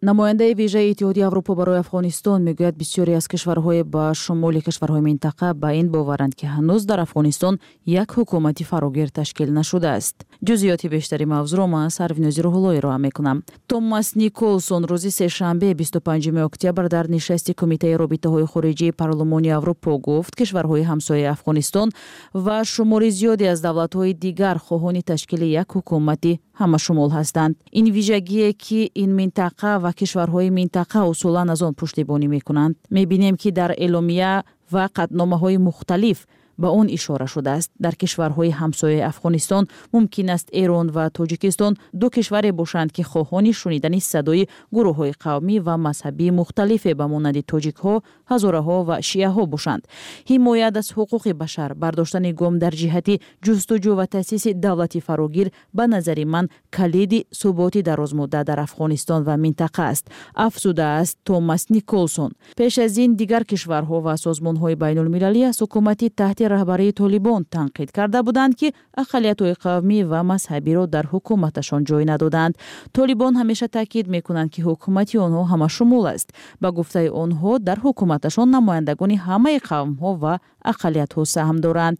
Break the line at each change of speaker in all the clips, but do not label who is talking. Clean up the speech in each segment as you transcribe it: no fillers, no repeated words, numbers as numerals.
Намояндаи вижаи Иттиҳоди Аврупо барои Афғонистон мегӯяд, бисёре аз кишварҳои ба шумули кишварҳои минтақа ба ин боваранд, ки ҳанӯз дар Афғонистон як ҳукумати фарогир ташкил нашудааст. Ҷузъиёти бештари мавзӯъро ман Сарвинози Рӯҳулло ироа мекунам. Томас Николсон рӯзи сешанбе 25 октябр дар нишасти Кумитаи робитаҳои хориҷии Парлумони Аврупо гуфт, кишварҳои ҳамсояи Афғонистон ва шумори зиёде аз давлатҳои дигар хоҳони ташкили як ҳукумати ҳамашумул ҳастанд. Ин вижагие, ки ин минтақа ва кишварҳои минтақа усулан аз он пуштибонӣ мекунанд. Мебинем, ки дар эъломия ва қатъномаҳои мухталиф ба он ишора шудааст. Дар кишварҳои ҳамсояи Афғонистон мумкин аст Эрон ва Тоҷикистон ду кишваре бошанд, ки хоҳони шунидани садои гурӯҳҳои қавмӣ ва мазҳабии мухталифе ба монанди тоҷикҳо, ҳазораҳо ва шиаҳо бошанд. Ҳимоят аз ҳуқуқи башар, бардоштани гом дар ҷиҳати ҷустуҷӯ ва таъсиси давлати фарогир ба назари ман калиди суботи дарозмуддат дар Афғонистон ва минтақа аст, афзудааст Томас Николсон. Пеш аз ин дигар кишварҳо ва созмонҳои байнулмилалӣ аз ҳукумати таҳти раҳбарии Толибон танқид карда буданд, ки ақаллиятҳои қавмӣ ва мазҳабиро дар ҳукуматашон ҷой надоданд. Толибон ҳамеша таъкид мекунанд, ки ҳукумати онҳо ҳамашумул аст. Ба гуфтаи онҳо, дар ҳукуматашон намояндагони ҳамаи қавмҳо ва ақаллиятҳо саҳм доранд.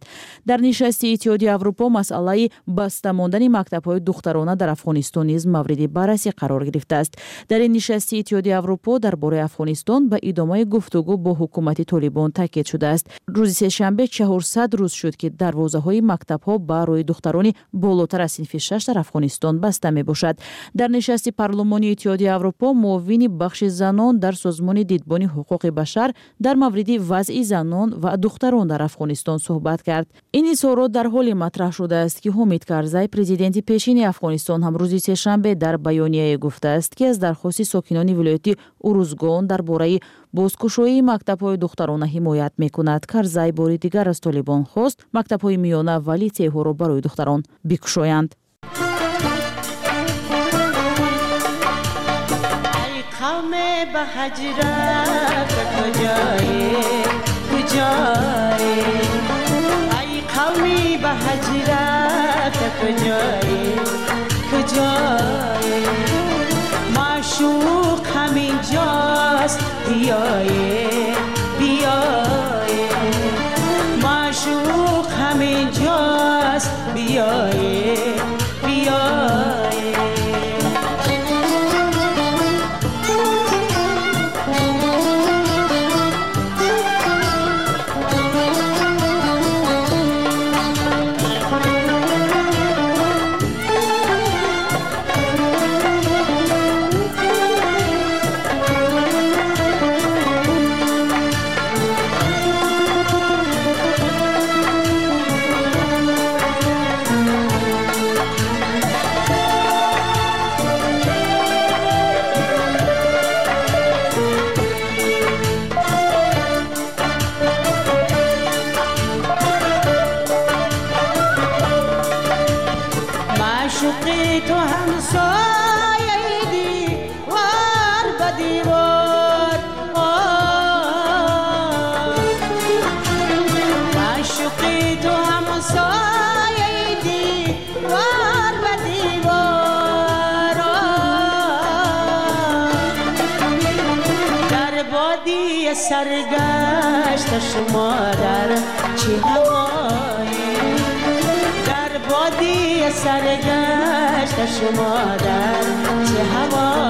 Дар нишасти Иттиҳоди Аврупо масъалаи баста мондани мактабҳои духтарона дар Афғонистон низ мавриди баррасӣ қарор гирифтааст. Дар ин нишасти Иттиҳоди Аврупо дар бораи Афғонистон ба идомаи гуфтугӯ бо ҳукумати Толибон таъкид шудааст. Рӯзи сешанбе 400 рӯз шуд, ки дарвозаҳои мактабҳо ба рӯи духтарони болотар аз синфи шаш дар Афғонистон баста мебошад. Дар нишасти парлумони Иттиҳоди Аврупо муовини бахши занон дар созмони дидбони ҳуқуқи башар дар мавриди вазъи занон ва духтарон дар Афғонистон суҳбат кард. Ин изҳорот дар ҳоле матраҳ шудааст, ки Ҳомид Карзай, президенти пешини Афғонистон, ҳам рӯзи сешанбе дар баёнияе гуфтааст, ки аз дархости сокинони вилояти Урузгон дар бораи бозкушоии мактабҳои духтарона ҳимоят мекунад. Карзай бори дигар аз Толибон хост мактабҳои миёна ва литсейҳоро барои духтарон бикушоянд.
معشوق همینجاست، بیایه بیایه، معشوق همینجاست، بیایه بیایه. معشوقی تو همسایه دیوار به دیوار، معشوقی تو همسایه دیوار به دیوار، در بادی سرگشت شما در چه هوایی، در بادی سرگشت شما در چه هوایی.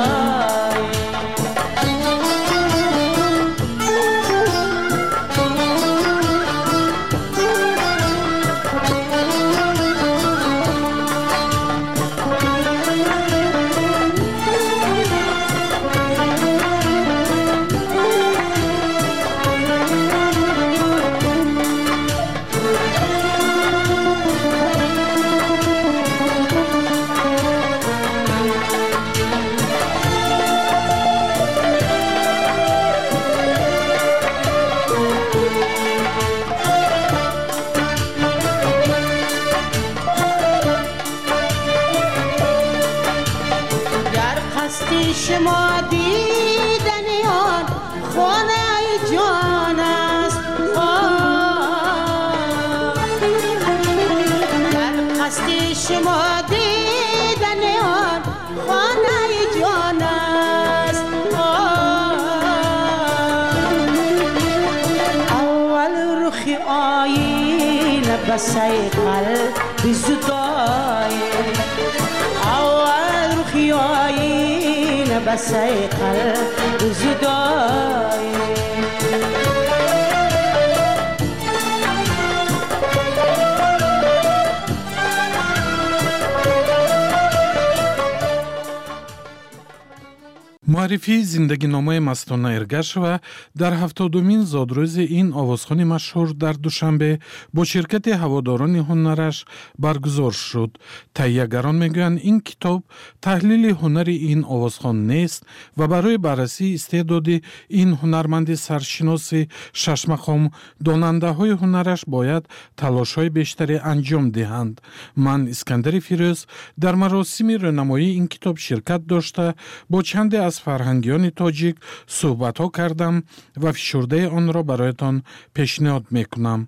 شما دیدن آن خانه جان است، در قصد شما دیدن آن خانه جان است. بسیقل بزدای اول روخی آینه بسیقل بزدای.
Муаррифии зиндагиномаи Мастона Эргашева дар 70-умин зодрӯзи ин овозхони машҳур дар Душанбе бо ширкати ҳаводорони ҳунараш баргузор шуд. Таҳиягарон мегӯянд, ин китоб таҳлили ҳунари ин овозхон нест ва барои баррасии истеъдоди ин ҳунарманди саршиноси шашмақом донандаҳои ҳунараш бояд талошҳои бештаре анҷом диҳанд. Ман, Искандари Фирӯз, дар маросими рӯнамоии ин китоб ширкат дошта, бо чанде аз фарҳангиёни тоҷик суҳбатҳо кардам ва фишурдаи онро бароятон пешниҳод мекунам.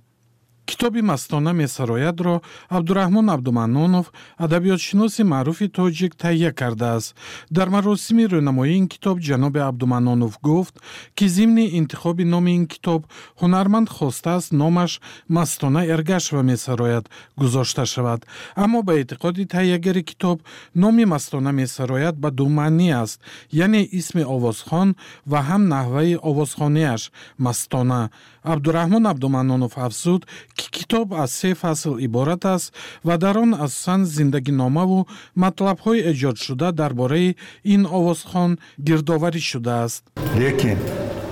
Китоби Мастона месароядро Абдураҳмон Абдуманнонов, адабиётшиноси маъруфи тоҷик, таҳия кардааст. Дар маросими рӯнамоии ин китоб ҷаноби Абдуманнонов гуфт, ки зимни интихоби номи ин китоб ҳунарманд хостааст номаш Мастона Эргашева месарояд гузошта шавад, аммо ба эътиқоди таҳиягари китоб номи Мастона месарояд ба ду маънӣ аст, яъне исми овозхон ва ҳам наҳваи овозхониаш Мастона. Абдураҳмон Абдуманнонов афзуд, ки китоб аз се фасл иборат аст ва дар он асосан зиндагиномаву матлабҳои эҷодшуда дар бораи ин овозхон гирдоварӣ шудааст.
Лекин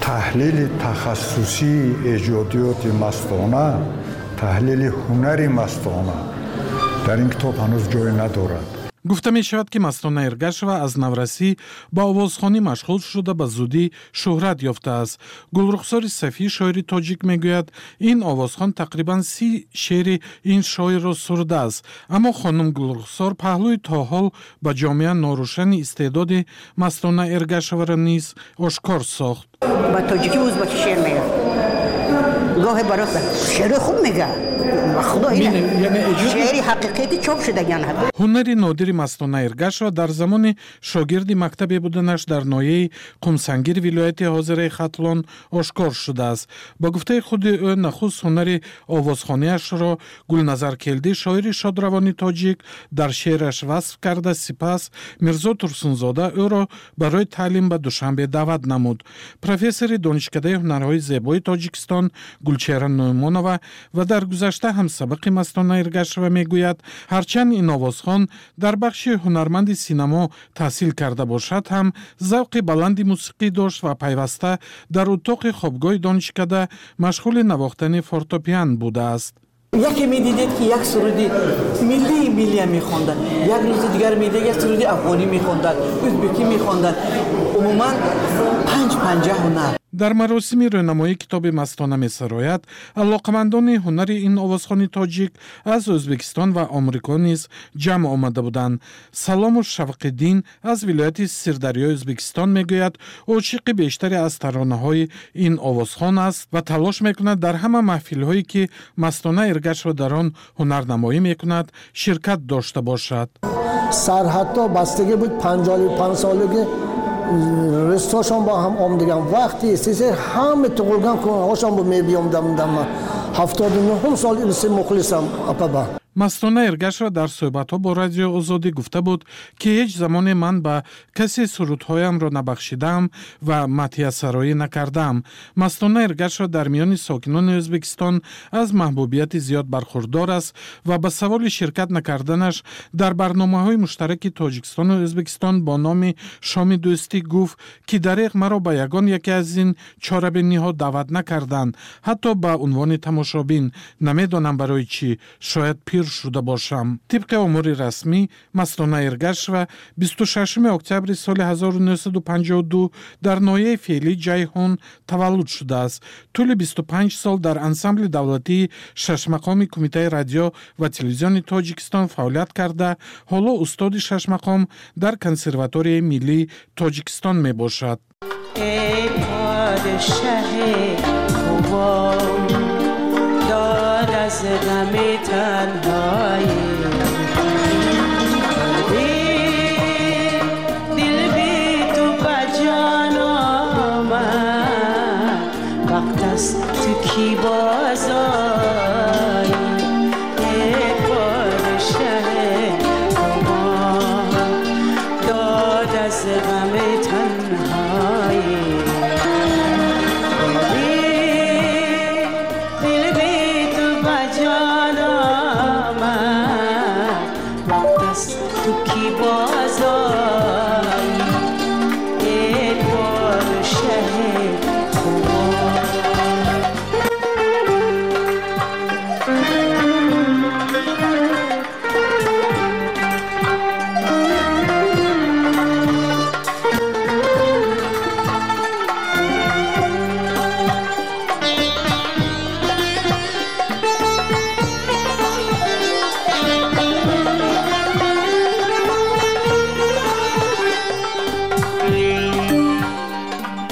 таҳлили тахассусии эҷодиёти Мастона, таҳлили ҳунари Мастона дар ин китоб ҳанӯз ҷой надорад.
Гуфта мешавад, ки Мастона Эргашева аз наврасӣ ба овозхонӣ машғул шуда, ба зудӣ шӯҳрат ёфтааст. Гулрухсори Сафӣ, шоири тоҷик, мегӯяд, ин овозхон тақрибан 30 шеъри ин шоирро сурудааст, аммо хонум Гулрухсор паҳлӯи то ҳол ба ҷомеа норӯшани истеъдоди Мастона Эргашеваро низ ошкор сохт.
Ба тоҷикӣ узбаки шеър мегӯяд, гоҳе барои шеъри хуб мегӯяд. Шеъри ҳақиқӣ чоп шудаган.
Ҳунари нодири Мастона Эргашева дар замони шогирди мактабе буданаш дар ноҳияи Қумсангир вилояти ҳозираи Хатлон ошкор шудааст. Ба гуфтаи худи ӯ, нахуст ҳунари овозхониашро Гулназар Келдӣ, шоири шодравони тоҷик, дар шеъраш васф карда, сипас Мирзо Турсунзода ӯро барои таълим ба Душанбе даъват намуд. Профессори Донишкадаи ҳунарҳои зебои Тоҷикистон Гулчеҳра Нуъмонова ва дар гузашта ҳамсабақи Мастона Эргашева мегӯяд, ҳарчанд ин овозхон дар бахши ҳунарманди синамо таҳсил карда бошад ҳам, завқи баланди мусиқӣ дошт ва пайваста дар утоқи хобгоҳи донишкада машғули навохтани фортопиан будааст.
Яке медидед, ки як суруди миллии миллия мехондад, як рӯзи дигар медидед, як суруди афғонӣ мехондад, ӯзбекӣ мехондад, умуман панҷ панҷа ҳунар.
Дар маросими рӯнамоии китоби Мастона месарояд алоқамандони ҳунари ин овозхони тоҷик аз Ӯзбекистон ва Омрико низ ҷамъ омада буданд. Салому Шавқиддин аз вилояти Сирдарёи Ӯзбекистон мегӯяд, ошиқи бештаре аз таронаҳои ин овозхон аст ва талош мекунад дар ҳама маҳфилҳое, ки Мастона Эргашева дар он ҳунарнамоӣ мекунад, ширкат дошта бошад.
Сарҳадҳо бастагӣ буд, 55 солагӣ рустошон бо ҳам омдаган вақти истеса ҳама туғулган кунҳошон бо мебиёмдам. 79 сол илси мухлисам апаба.
Мастона Эргашева дар суҳбатҳо бо Радиои Озодӣ гуфта буд, ки ҳеҷ замоне ман ба касе сурудҳоямро набахшидаам ва мадҳиясароӣ накардаам. Мастона Эргашева дар миёни сокинони Ӯзбекистон аз маҳбубияти зиёд бархурдор аст ва ба саволи ширкат накарданаш дар барномаҳои муштараки Тоҷикистону Ӯзбекистон бо номи Шоми дӯстӣ гуфт, ки дареғ, маро ба ягон яке аз ин чорабиниҳо даъват накарданд, ҳатто ба унвони тамошобин. Намедонам барои чӣ, шояд пир шуда бошам. Тибқи омори расмӣ, Мастона Эргашева 26 октябри соли 1952 дар ноҳияи феълии Ҷайҳун таваллуд шудааст. Тӯли 25 сол дар ансамбли давлатии шашмақоми Кумитаи радио ва телевизиони Тоҷикистон фаъолият карда, ҳоло устоди шашмақом дар Консерваторияи миллии Тоҷикистон мебошад.
Эй подшаҳи хубон, داد از غم تنهایی، دل بی تو به جان آمد، وقت است تو کی باز آیی. تو کی بازایی ای پادشه خوبان.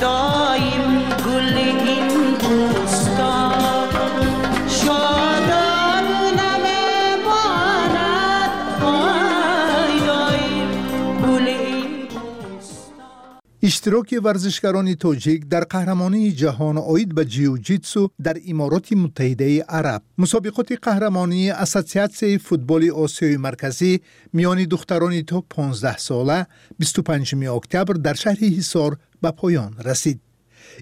دایم گل این بوستان شاداب نمیماند، وای دایم گل این بوستان.
Иштироки варзишгарони тоҷик дар қаҳрамонии ҷаҳон оид ба ҷиу-ҷитсу дар Имороти Муттаҳидаи Араб. Мусобиқоти қаҳрамонии Ассотсиатсияи футболи Осиёи Марказӣ миёни духтарони то 15 сола 25 октябр дар шаҳри Ҳисор ба поён расид.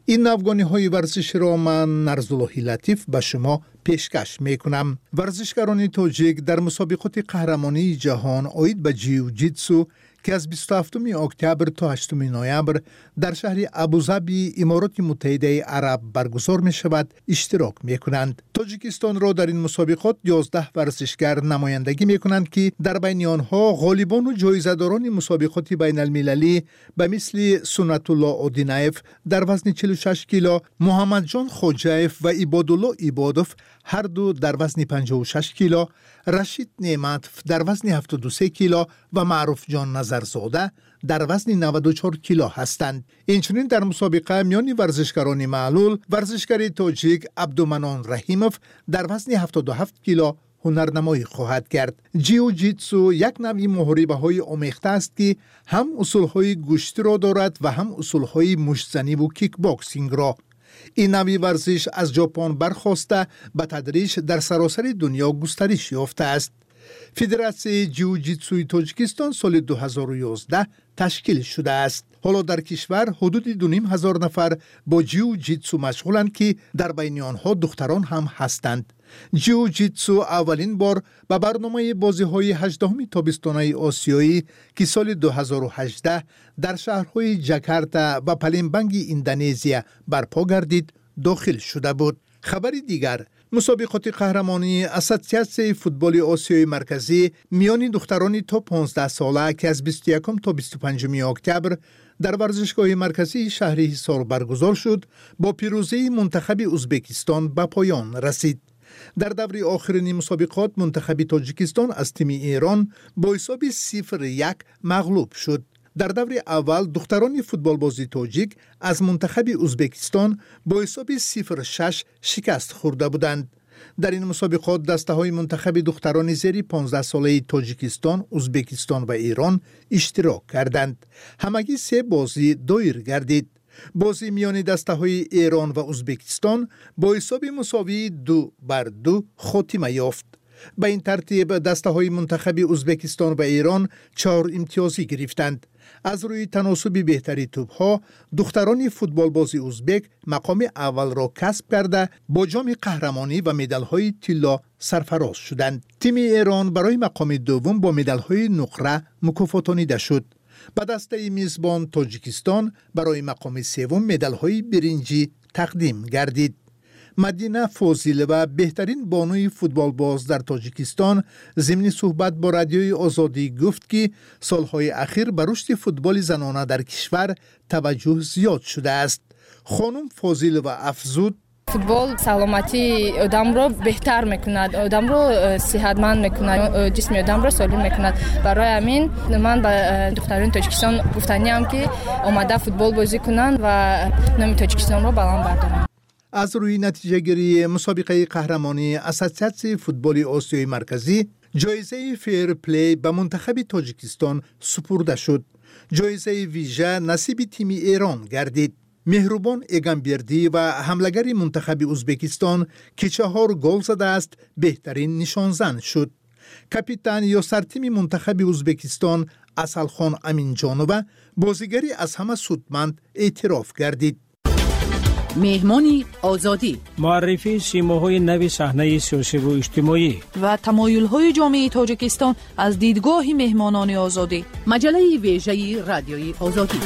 Ин навгониҳои варзиширо ман, Нарзуллоҳи Латиф, ба шумо пешкаш мекунам. Варзишгарони тоҷик дар мусобиқоти қаҳрамонии ҷаҳон оид ба ҷиу-ҷитсу, ки аз 27 октябр то 8 ноябр дар шаҳри Абузабии Имороти Муттаҳидаи Араб баргузор мешавад, иштирок мекунанд. Тоҷикистонро дар ин мусобиқот 11 варзишгар намояндагӣ мекунанд, ки дар байни онҳо ғолибону ҷоизадорони мусобиқоти байналмилалӣ ба мисли Суннатулло Одинаев дар вазни 46 кило, Муҳаммадҷон Хоҷаев ва Ибодулло Ибодов ҳарду дар вазни 56 кило, Рашид Неъматов дар вазни 73 кило ва Маъруфҷон Назарзода дар вазни 94 кило ҳастанд. Инчунин дар мусобиқа миёни варзишгарони маълул варзишгари тоҷик Абдуманон Раҳимов дар вазни 77 кило ҳунарнамоӣ хоҳад кард. Ҷиу-ҷитсу як навъи муҳорибаҳои омехта аст, ки ҳам усулҳои гӯштиро дорад ва ҳам усулҳои муштзаниву кикбоксингро. Ин навъи варзиш аз Ҷопон бархоста, ба тадриҷ дар саросари дунё густариш ёфтааст. Федератсияи ҷиу-ҷитсуи Тоҷикистон соли 2011 ташкил шудааст. Ҳоло дар кишвар ҳудуди 2500 нафар бо ҷиу-ҷитсу машғуланд, ки дар байни онҳо духтарон ҳам ҳастанд. Ҷиу-ҷитсу аввалин бор ба барномаи бозиҳои 18-уми тобистонаи осиёӣ, ки соли 2018 дар шаҳрҳои Ҷакарта ва Палембанги Индонезия барпо гардид, дохил шуда буд. Хабари дигар: мусобиқоти қаҳрамонии Ассотсиатсияи футболи Осиёи Марказӣ миёни духтарони то 15 сола, ки аз 21 то 25 октябр дар варзишгоҳи марказии шаҳри Ҳисор баргузор шуд, бо пирӯзии мунтахаби Узбекистон ба поён расид. Дар даври охирини мусобиқот мунтахаби Тоҷикистон аз тими Эрон бо ҳисоби 0-1 мағлуб шуд. Дар даври аввал духтарони футболбози тоҷик аз мунтахаби Узбекистон бо ҳисоби 0-6 шикаст хӯрда буданд. Дар ин мусобиқот дастаҳои мунтахаби духтарони зери 15 солаи Тоҷикистон, Узбекистон ва Эрон иштирок карданд. Ҳамагӣ се бозӣ доир гардид. Бозӣ миёни дастаҳои Эрон ва Узбекистон бо ҳисоби мусовии 2-2 хотима ёфт. Ба ин тартиб дастаҳои мунтахаби Узбекистон ва Эрон чор имтиёзӣ гирифтанд. Аз рӯи таносуби беҳтари тӯбҳо духтарони футболбози узбек мақоми аввалро касб карда, бо ҷоми қаҳрамонӣ ва медалҳои тилло сарфароз шуданд. Тими Эрон барои мақоми дуввум бо медалҳои нуқра мукофотонида шуд. Ба дастаи мизбон Тоҷикистон барои мақоми севум медалҳои биринҷӣ тақдим гардид. Мадина Фозилова, беҳтарин бонуи футболбоз дар Тоҷикистон, зимни суҳбат бо Радиои Озодӣ гуфт, ки солҳои ахир ба рушди футболи занона дар кишвар таваҷҷӯҳ зиёд шудааст. Хонум Фозилова афзуд:
Футбол саломатии одамро беҳтар мекунад, одамро сиҳатманд мекунад, ҷисми одамро солим мекунад. Барои ҳамин ман ба духтарони Тоҷикистон гуфтаниам, ки омада футбол бозӣ кунанд ва номи Тоҷикистонро баланд бардоранд.
Аз рӯи натиҷагирии мусобиқаи қаҳрамонии Ассотсиатсияи футболи Осиёи Марказӣ ҷоизаи фейрплей ба мунтахаби Тоҷикистон супурда шуд. Ҷоизаи вижа насиби тими Эрон гардид. Меҳрубон Эгамбердиева, ҳамлагари мунтахаби Узбекистон, ки чаҳор гол задааст, беҳтарин нишонзан шуд. Капитан ё сартими мунтахаби Узбекистон Асалхон Аминҷонова бозигари аз ҳама судманд эътироф гардид.
Меҳмони Озодӣ.
Муаррифии симоҳои нави саҳнаи сиёсиву иҷтимоӣ
ва тамоюлҳои ҷомеаи Тоҷикистон аз дидгоҳи меҳмонони Озодӣ.
Маҷаллаи вежаи Радиои Озодӣ.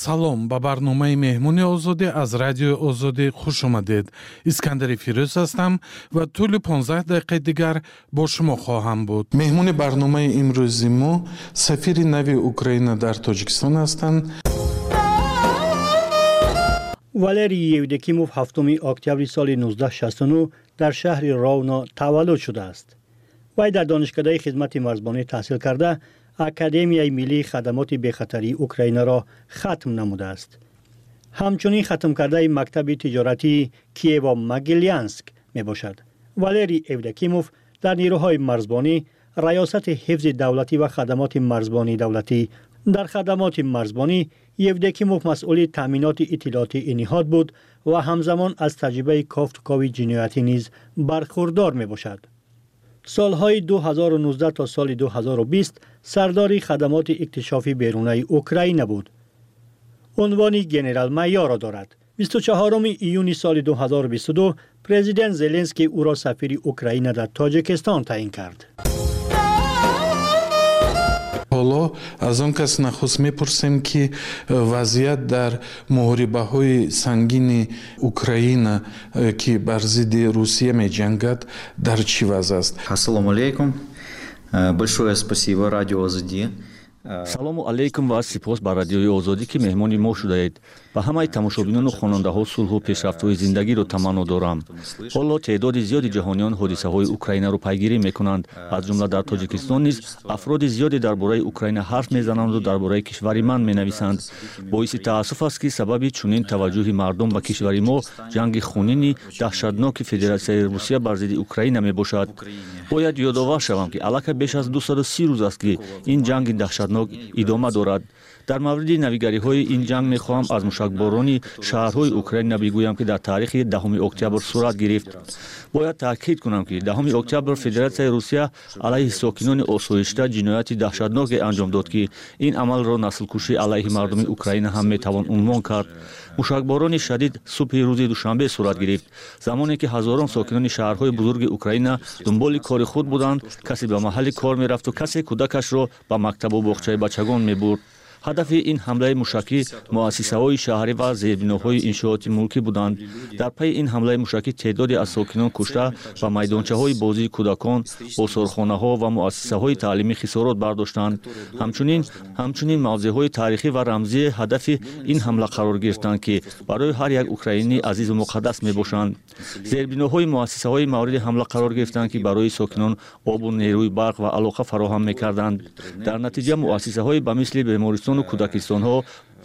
Салом, ба барномаи Меҳмони Озодӣ аз Радиои Озодӣ хуш омадед. Искандари Фирӯз ҳастам ва тӯли 15 дақиқаи дигар бо шумо хоҳам буд. Меҳмони барномаи имрӯзи мо сафири нави Украина дар Тоҷикистон ҳастанд.
Валерий Евдокимов 7 октябри соли 1969 дар шаҳри Ровно таваллуд шудааст. Вай дар Донишкадаи хизмати марзбонӣ таҳсил карда, Академияи миллии хадамоти бехатарии Украинаро хатм намудааст. Ҳамчунин хатмкардаи мактаби тиҷоратии Киево Могилянск мебошад. Валерий Евдокимов дар нерӯҳои марзбонӣ, Раёсати ҳифзи давлатӣ ва хадамоти марзбонии давлатӣ. Дар хадамоти марзбонӣ Евдокимов масъули таъминоти иттилоотии ин ниҳод буд ва ҳамзамон аз таҷрибаи кофтукови ҷиноятӣ низ бархурдор мебошад. Солҳои 2019 то соли 2020 сардори хадамоти иктишофи берунаи Украина буд. Унвони генерал-майорро дорад. 24 июни соли 2022 президент Зеленский ӯро сафири Украина дар Тоҷикистон таъин кард.
Ҳоло аз он кас нахуст мепурсем, ки вазъият дар муҳорибаҳои сангини Украина, ки бар зидди Русия меҷангад, дар чӣ вазъ аст.
Ассалому алейкум. Большое спасибо Радио Озоди.
Салому алейкум ва сипос ба Радиои Озодӣ, ки меҳмони мо шудаед. Ба ҳамаи тамошобинону хонандаҳо сулҳу пешрафтҳои зиндагиро таманно дорам. Ҳоло теъдоди зиёди ҷаҳониён ҳодисаҳои Украинаро пайгирӣ мекунанд. Аз ҷумла дар Тоҷикистон низ афроди зиёде дар бораи Украина ҳарф мезананду дар бораи кишвари ман менависанд. Боиси таассуф аст, ки сабаби чунин таваҷҷӯҳи мардум ба кишвари мо ҷанги хунини даҳшатноки Федератсияи Русия бар зидди Украина мебошад. Бояд ёдовар шавам, ки аллакай беш аз 230 рӯз аст, ки ин ҷанги даҳшатнок идома дорад. Дар мавриди навигариҳои ин ҷанг мехоҳам аз мушакборони шаҳрҳои Украина бигӯям, ки дар таърихи 10 октябр сурат гирифт. Бояд таъкид кунам, ки 10 октябр Федератсияи Русия алайҳи сокинони осоишта ҷинояти даҳшатноке анҷом дод, ки ин амалро наслкушӣ алайҳи мардуми Украина ҳам метавон унвон кард. Мушакборони шадид субҳи рӯзи душанбе сурат гирифт, замоне ки ҳазорон сокинони шаҳрҳои бузурги Украина дунболи кори худ буданд. Касе ба маҳалли кор мерафту касе кӯдакашро ба мактабу боғчаи бачагон мебурд. Ҳадафи ин ҳамлаи мушакӣ муассисаҳои шаҳрӣ ва зербиноҳои иншооти мулкӣ буданд. Дар пайи ин ҳамлаи мушакӣ теъдоде аз сокинон кушта ва майдончаҳои бозии кӯдакон, осорхонаҳо ва муассисаҳои таълимӣ хисорот бардоштанд. Ҳамчунин мавзеъҳои таърихӣ ва рамзии ҳадафи ин ҳамла қарор гирифтанд, ки барои ҳар як украинӣ азизу муқаддас мебошанд. Зербиноҳои муассисаҳои мавриди ҳамла қарор гирифтанд, ки барои сокинон обу нерӯи барқ ва алоқа фароҳам мекарданд. Дар натиҷа муассисаҳои ба мисли бемористон, кӯдакистонҳо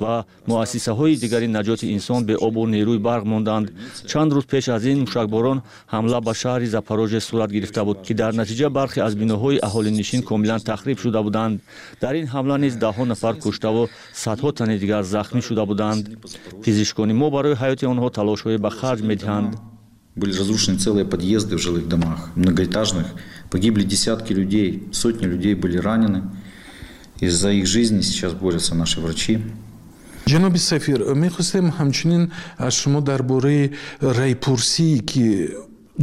ва муассисаҳои дигари наҷоти инсон беобу нерӯи барқ монданд. Чанд рӯз пеш аз ин мушакборон ҳамла ба шаҳри Запорожье сурат гирифта буд, ки дар натиҷа бархе аз биноҳои аҳолинишин комилан тахриб шуда буданд. Дар ин ҳамла низ даҳҳо нафар куштаву садҳо тани дигар захмӣ шуда буданд. Пизишкони мо барои ҳаёти онҳо талошҳое ба харҷ медиҳанд.
Были разрушены целые подъезды в жилых домах, многоэтажных. Погибли десятки людей, сотни людей были ранены. И за их жизни сейчас борются наши врачи.
Ҷаноби сафир, мехостем ҳамчунин аз шумо дар бораи райпурсие, ки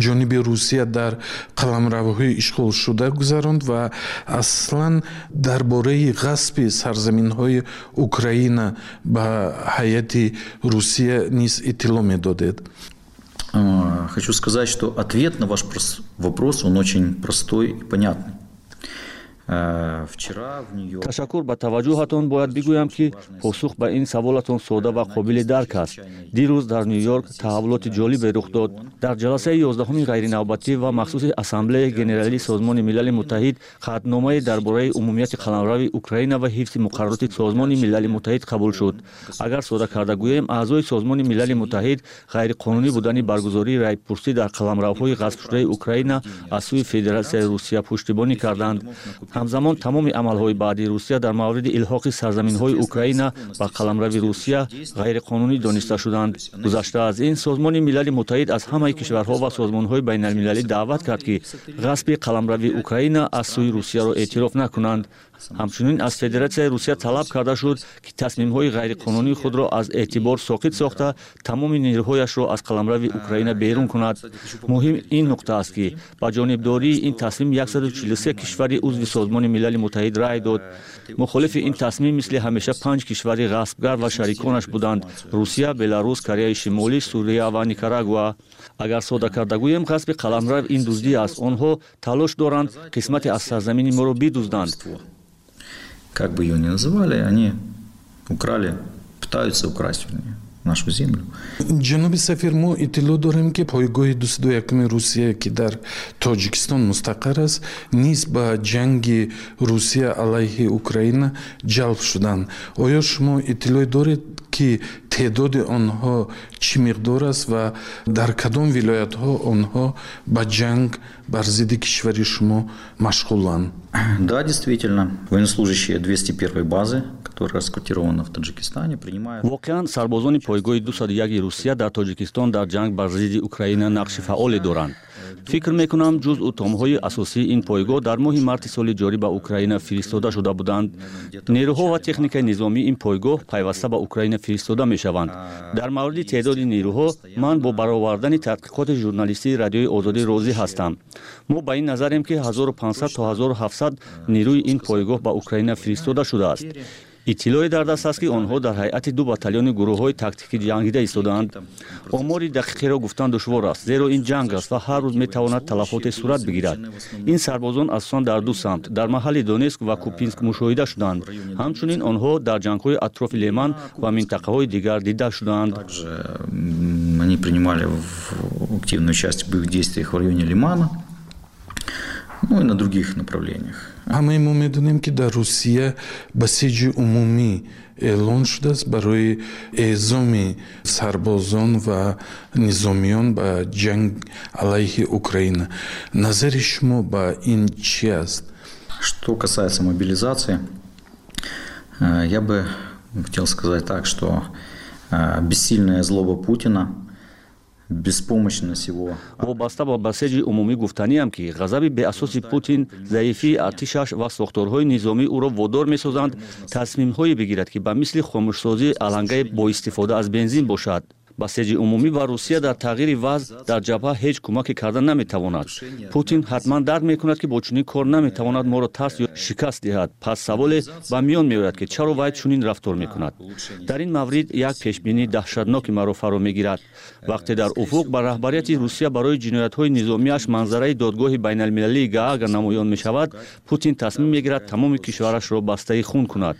ҷониби Русия дар қаламравҳои ишғолшуда гузаронд, ва аслан дар бораи ғасби сарзаминҳои Украина ба ҳайати Русия низ иттилоъ медодед.
Хочу сказать, что ответ на ваш вопрос, он очень простой и понятный.
Ташаккур ба таваҷҷӯҳатон. Бояд бигӯям, ки посух ба ин саволатон сода ва қобили дарк аст. Дирӯз дар Ню Йорк таҳаввулоти ҷолибе рух дод. Дар ҷаласаи 11-уми ғайринавбатӣ ва махсуси Ассамблеяи Генералии Созмони Милали Муттаҳид қатъномае дар бораи умумияти қаламрави Украина ва ҳифзи муқаррароти Созмони Милали Муттаҳид қабул шуд. Агар сода карда гӯем, аъзои Созмони Милали Муттаҳид ғайриқонунӣ будани баргузории райпурсӣ дар қаламравҳои ғасбшудаи Украина аз сӯи Федератсияи Русия пуштибонӣ карданд. Ҳамзамон тамоми амалҳои баъдии Русия дар мавриди илҳоқи сарзаминҳои Украина ба қаламрави Русия ғайриқонунӣ дониста шуданд. Гузашта аз ин, Созмони Милали Муттаҳид аз ҳамаи кишварҳо ва созмонҳои байналмилалӣ даъват кард, ки ғасби қаламрави Украина аз сӯи Русияро эътироф накунанд. Ҳамчунин аз Федератсияи Русия талаб карда шуд, ки тасмимҳои ғайриқонунии худро аз эътибор соқит сохта, тамоми нерӯҳояшро аз қаламрави Украина берун кунад. Муҳим ин нуқта аст, ки ба ҷонибдории ин тасмим 143 кишвари узви Созмони Милали Муттаҳид рай дод. Мухолифи ин тасмим мисли ҳамеша панҷ кишвари ғасбгар ва шариконаш буданд: Русия, Беларус, Кореяи Шимолӣ, Сурия ва Никарагуа. Агар сода карда гӯем, ғасби қаламрав ин дуздӣ аст. Онҳо талош доранд қисмате аз сарзамини моро бидузданд.
Как бы ее ни называли, они украли, пытаются украсть, вернее, нашу землю.
Ҷаноби сафир, мо иттилоъ дорем, ки пойгоҳи 201-уми Русия, ки дар Тоҷикистон мустақар аст, низ ба ҷанги Русия алайҳи Украина ҷалб шуданд. Оё шумо иттилоъ доред, ки теъдоди онҳо чӣ миқдор аст ва дар кадом вилоятҳо онҳо ба ҷанг бар зидди кишвари шумо машғуланд?
Да, действительно, военнослужащие 201 базы, которая расквартирована в Таджикистане, принимают.
Воқеан, сарбозони пойгоҳи 201 Русия дар Тоҷикистон дар ҷанг бар зидди Украина нақши фаъоле доранд. Фикр мекунам, ҷузъу томҳои асосии ин пойгоҳ дар моҳи марти соли ҷорӣ ба Украина фиристода шуда буданд. Нерӯҳо ва техникаи низомии ин пойгоҳ пайваста ба Украина фиристода мешаванд. Дар мавриди теъдоди нерӯҳо ман бо баровардани тадқиқоти журналистии Радиои Озодӣ розӣ ҳастам. Мо ба ин назарем, ки 1500 то 1700 нерӯи ин пойгоҳ ба Украина фиристода шудааст. Иттилоъе дар даст аст, ки онҳо дар ҳайати ду батальони гурӯҳҳои тактикӣ ҷангида истодаанд. Омори дақиқеро гуфтан душвор аст, зеро ин ҷанг аст ва ҳар рӯз метавонад талафоте сурат бигирад. Ин сарбозон асосан дар ду самт, дар маҳалли Донецк ва Купянск, мушоҳида шуданд. Ҳамчунин онҳо дар ҷангҳои атрофи Лиман ва минтақаҳои дигар дида шудаанд.
Они принимали активное участие в боевых действиях в районе Лимана, ну и на других направлениях.
Ҳамаи мо медонем, ки дар Русия басиҷи умумӣ эълон шудааст барои эъзоми сарбозон ва низомиён ба ҷанг алайҳи Украина. Назари шумо ба ин чӣ аст?
Что касается мобилизации, я бы хотел сказать так, что бессильная злоба Путина, беспомощность его.
Вобаста ба басеҷи умумӣ гуфтаниам, ки ғазаби беасоси Путин, заифии артишаш ва сохторҳои низомӣ ӯро водор месозанд тасмимҳое бигирад, ки ба мисли хомӯшсозии алангаи бо истифода аз бензин бошад. Басеҷи умумӣ ба Русия дар тағйири вазъ дар ҷабҳа ҳеҷ кӯмаке карда наметавонад. Путин ҳатман дарк мекунад, ки бо чунин кор наметавонад моро тарс ё шикаст диҳад. Пас саволе ба миён меояд, ки чаро вай чунин рафтор мекунад. Дар ин маврид як пешбинии даҳшатноки маро фаро мегирад. Вақте дар уфуқ ба раҳбарияти Русия барои ҷиноятҳои низомиаш манзараи Додгоҳи байналмилалии Гаага намоён мешавад, Путин тасмим мегирад тамоми кишварашро бастаи хун кунад.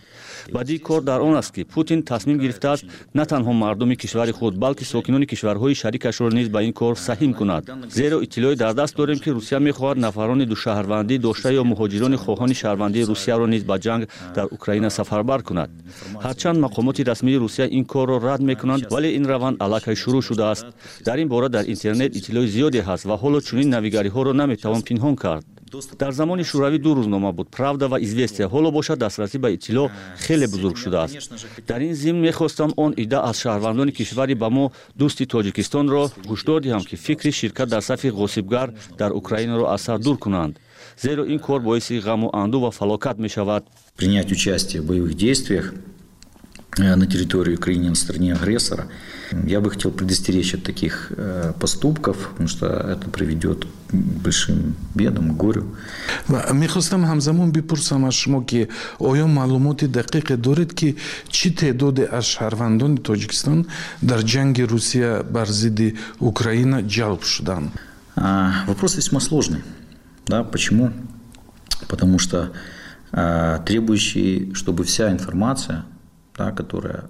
Бадии кор дар он аст, ки Путин тасмим гирифтааст на танҳо мардуми кишвари худ, балки сокинони кишварҳои шарикашро низ ба ин кор саҳим кунад, зеро иттилоъе дар даст дорем, ки Русия мехоҳад нафарони душаҳрвандӣ дошта ё муҳоҷирони хоҳони шаҳрвандии Русияро низ ба ҷанг дар Украина сафарбар кунад. Ҳарчанд мақомоти расмии Русия ин корро рад мекунанд, вале ин раванд аллакай шурӯъ шудааст. Дар ин бора дар интернет иттилои зиёде ҳаст ва ҳоло чунин навигариҳоро наметавон пинҳон кард. Дар замони Шӯравӣ ду рӯзнома буд: «Правда» ва «Известия». Ҳоло бошад, дастрасӣ ба иттилоъ хеле бузург шудааст. Дар ин зимн мехостам он идда аз шаҳрвандони кишвари ба мо дӯсти Тоҷикистонро ҳушдор диҳам, ки фикри ширкат дар сафи ғосибгар дар Украинаро аз сар дур кунанд, зеро ин кор боиси ғаму андӯ ва фалокат мешавад.
Принять участие в боевых действиях на территории Украины на стороне агрессора. Я бы хотел предостеречь от таких поступков, потому что это приведет к большим бедам, к горю.
Мехостам ҳамзамон бипурсам аз шумо, ки оё маълумоти дақиқе доред, ки чӣ теъдоде аз шаҳрвандони Тоҷикистон дар ҷанги Русия бар зидди Украина ҷалб шуданд?
Вопрос весьма сложный. Да, почему? Потому что требующий, чтобы вся информация, да, которая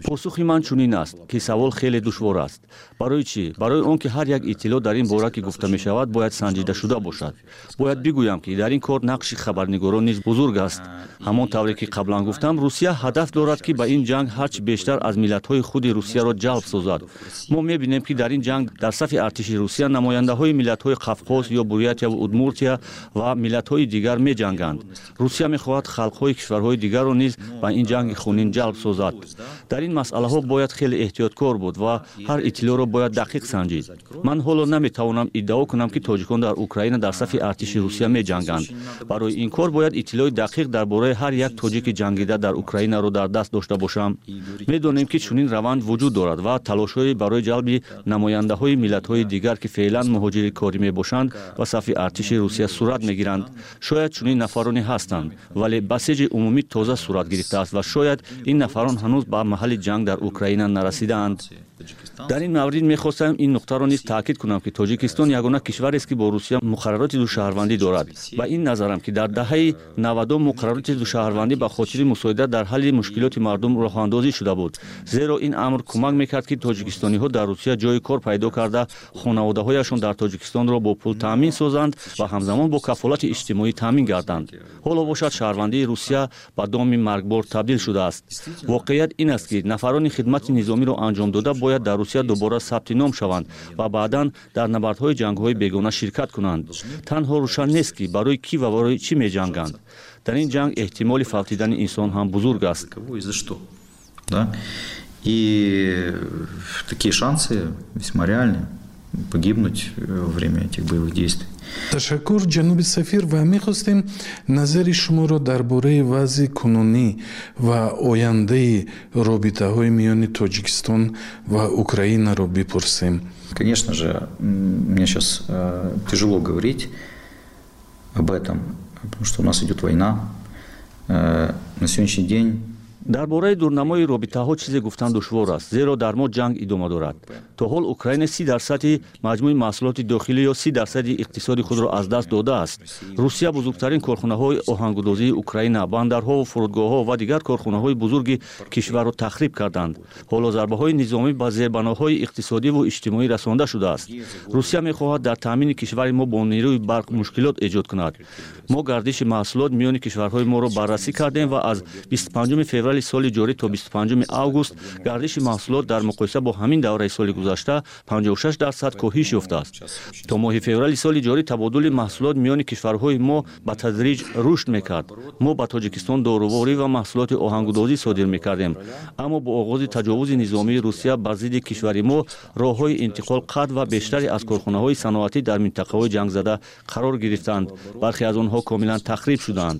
Посухи ман чунин аст, ки савол хеле душвор аст. Барои чӣ? Барои он ки ҳар як иттилоъ дар ин бора, ки гуфта мешавад, бояд санҷида шуда бошад. Бояд бигӯям, ки дар ин кор нақши хабарнигорон низ бузург аст. Ҳамон тавре ки қаблан гуфтам, Русия ҳадаф дорад, ки ба ин ҷанг ҳарчи бештар аз миллатҳои худи Русияро ҷалб созад. Мо мебинем, ки дар ин ҷанг дар сафи артиши Русия намояндаҳои миллатҳои Қавқоз ё Бурятияву Удмуртия ва миллатҳои дигар меҷанганд. Русия мехоҳад халқҳои кишварҳои дигарро низ ба ин ҷанги хунин ҷалб созад. Дар ин масъалаҳо бояд хеле эҳтиёткор буд ва ҳар иттилоъро бояд дақиқ санҷид. Ман ҳоло наметавонам иддао кунам, ки тоҷикон дар Украина дар сафи артиши Русия меҷанганд. Барои ин кор бояд иттилои дақиқ дар бораи ҳар як тоҷики ҷангида дар Украинаро дар даст дошта бошам. Медонем, ки чунин раванд вуҷуд дорад ва талошҳое барои ҷалби намояндаҳои миллатҳои дигар, ки феълан муҳоҷири корӣ мебошанд, ба сафи артиши Русия сурат мегиранд. Шояд чунин нафароне ҳастанд, вале басиҷи умумӣ тоза сурат гирифтааст ва шояд ин нафарон ҳанӯз ба маҳалли ҷанг дар Украина нарасидаанд. Дар ин маврид мехостам ин нуқтаро низ таъкид кунам, ки Тоҷикистон ягона кишварест, ки бо Русия муқаррароти душаҳрвандӣ дорад. Ба ин назарам, ки дар даҳаи 90-ум муқаррароти душаҳрвандӣ ба хотири мусоидат дар ҳалли мушкилоти мардум роҳандозӣ шуда буд, зеро ин амр кӯмак мекард, ки тоҷикистониҳо дар Русия ҷои кор пайдо карда, хонаводаҳояшон дар Тоҷикистонро бо пул таъмин созанд ва ҳамзамон бо кафолати иҷтимоӣ таъмин гарданд. Ҳоло бошад, шаҳрвандии Русия ба доми маргбор табдил шудааст. Воқеият ин аст, ки нафарони хидмати низомиро анҷом дода бояд дар Русия дубора сабти ном шаванд ва баъдан дар набардҳои ҷангҳои бегона ширкат кунанд. Танҳо рӯшан нест, ки барои кӣ ва барои чӣ меҷанганд. Дар ин ҷанг эҳтимоли фавтидани инсон ҳам бузург аст.
И такие шансы весьма реальны погибнуть во время этих боевых действий.
Ташаккур, ҷаноби сафир, ва мехостем назари шуморо дар бораи вазъи кунунӣ ва ояндаи робитаҳои миёни Тоҷикистон ва Украинаро бипурсем.
Конечно же, мне сейчас тяжело говорить об этом, потому что у нас идет война. На сегодняшний день
Дар бораи дурнамои робитаҳо чизе гуфтан душвор аст, зеро дар мо ҷанг идома дорад. То ҳол Украина 30 дарсади маҷмӯи маҳсулоти дохилӣ ё 30 дарсади иқтисоди худро аз даст додааст. Русия бузургтарин корхонаҳои оҳангудозии Украина, бандарҳову фурудгоҳҳо ва дигар корхонаҳои бузурги кишварро тахриб карданд. Ҳоло зарбаҳои низомӣ ба зербаноҳои иқтисодиву иҷтимоӣ расонда шудааст. Русия мехоҳад дар таъмини кишвари мо бо нерӯи барқ мушкилот эҷод кунад. Мо гардиши маҳсулот миёни кишварҳои моро баррасӣ кардем ва аз 25 феврали соли ҷорӣ то 25 август гардиши маҳсулот дар муқоиса бо ҳамин давраи соли гузашта 56% коҳиш ёфтааст. То моҳи феврали соли ҷорӣ табодули маҳсулот миёни кишварҳои мо ба тадриҷ рушд мекард. Мо ба Тоҷикистон доруворӣ ва маҳсулоти оҳангудозӣ содир мекардем, аммо бо оғози таҷовузи низомии Русия бар зидди кишвари мо роҳҳои интиқол қатъ ва бештаре аз корхонаҳои саноатӣ дар минтақаҳои ҷангзада қарор гирифтанд. Бархе аз онҳо комилан тахриб шуданд.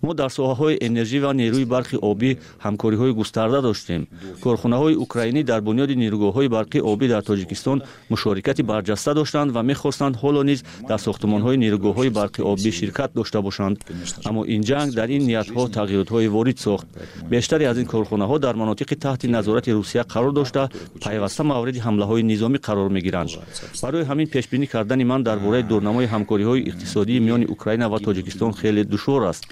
Мо дар соҳаҳои энержӣ ва нерӯи барқи обӣ ҳамкориҳои густарда доштем. Корхонаҳои украинӣ дар бунёди нерӯгоҳҳои барқи обӣ дар Тоҷикистон мушорикати барҷаста доштанд ва мехостанд ҳоло низ дар сохтмонҳои нерӯгоҳҳои барқи обӣ ширкат дошта бошанд, аммо ин ҷанг дар ин ниятҳо тағйиротҳое ворид сохт. Бештаре аз ин корхонаҳо дар манотиқи таҳти назорати Русия қарор дошта, пайваста мавриди ҳамлаҳои низомӣ қарор мегиранд. Барои ҳамин пешбинӣ кардани ман дар бораи дурнамои ҳамкориҳои иқтисодии миёни Украина ва Тоҷикистон хеле душвор аст.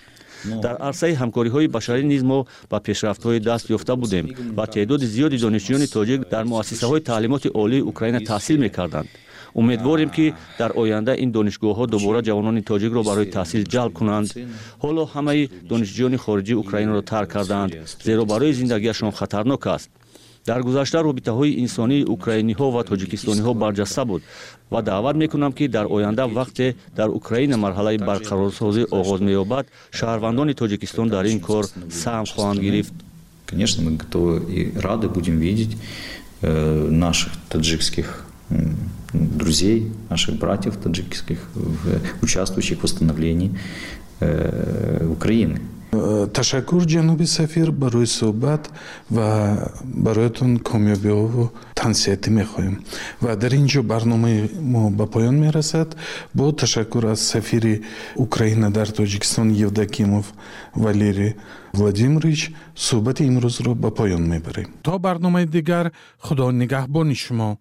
Дар арсаи ҳамкориҳои башарӣ низ мо ба пешрафтҳое даст ёфта будем ва теъдоди зиёди донишҷӯёни тоҷик дар муассисаҳои таълимоти олии Украина таҳсил мекарданд. Умедворем, ки дар оянда ин донишгоҳҳо дубора ҷавонони тоҷикро барои таҳсил ҷалб кунанд. Ҳоло ҳамаи донишҷӯёни хориҷӣ Украинаро тарк кардаанд, зеро барои зиндагиашон хатарнок аст. Дар гузашта робитаҳои инсонии украиниҳо ва тоҷикистониҳо барҷаста буд ва даъват мекунам, ки дар оянда, вақте дар Украина марҳалаи барқарорсозӣ оғоз меёбад, шаҳрвандони Тоҷикистон дар ин кор саҳм хоҳанд гирифт.
Конечно, мы готовы и рады будем видеть наших таджикских друзей, наших братьев таджикских, участвующих в восстановлении Украины.
Ташаккур, ҷаноби сафир, барои суҳбат ва бароятон комёбиҳову тансиҳатӣ мехоҳем. Ва дар ин ҷо барномаи мо ба поён мерасад. Бо ташаккур аз сафири Украина дар Тоҷикистон Евдокимов Валерий Владимирович суҳбати имрӯзро ба поён мебарем. То барномаи дигар, Худо нигаҳбони шумо.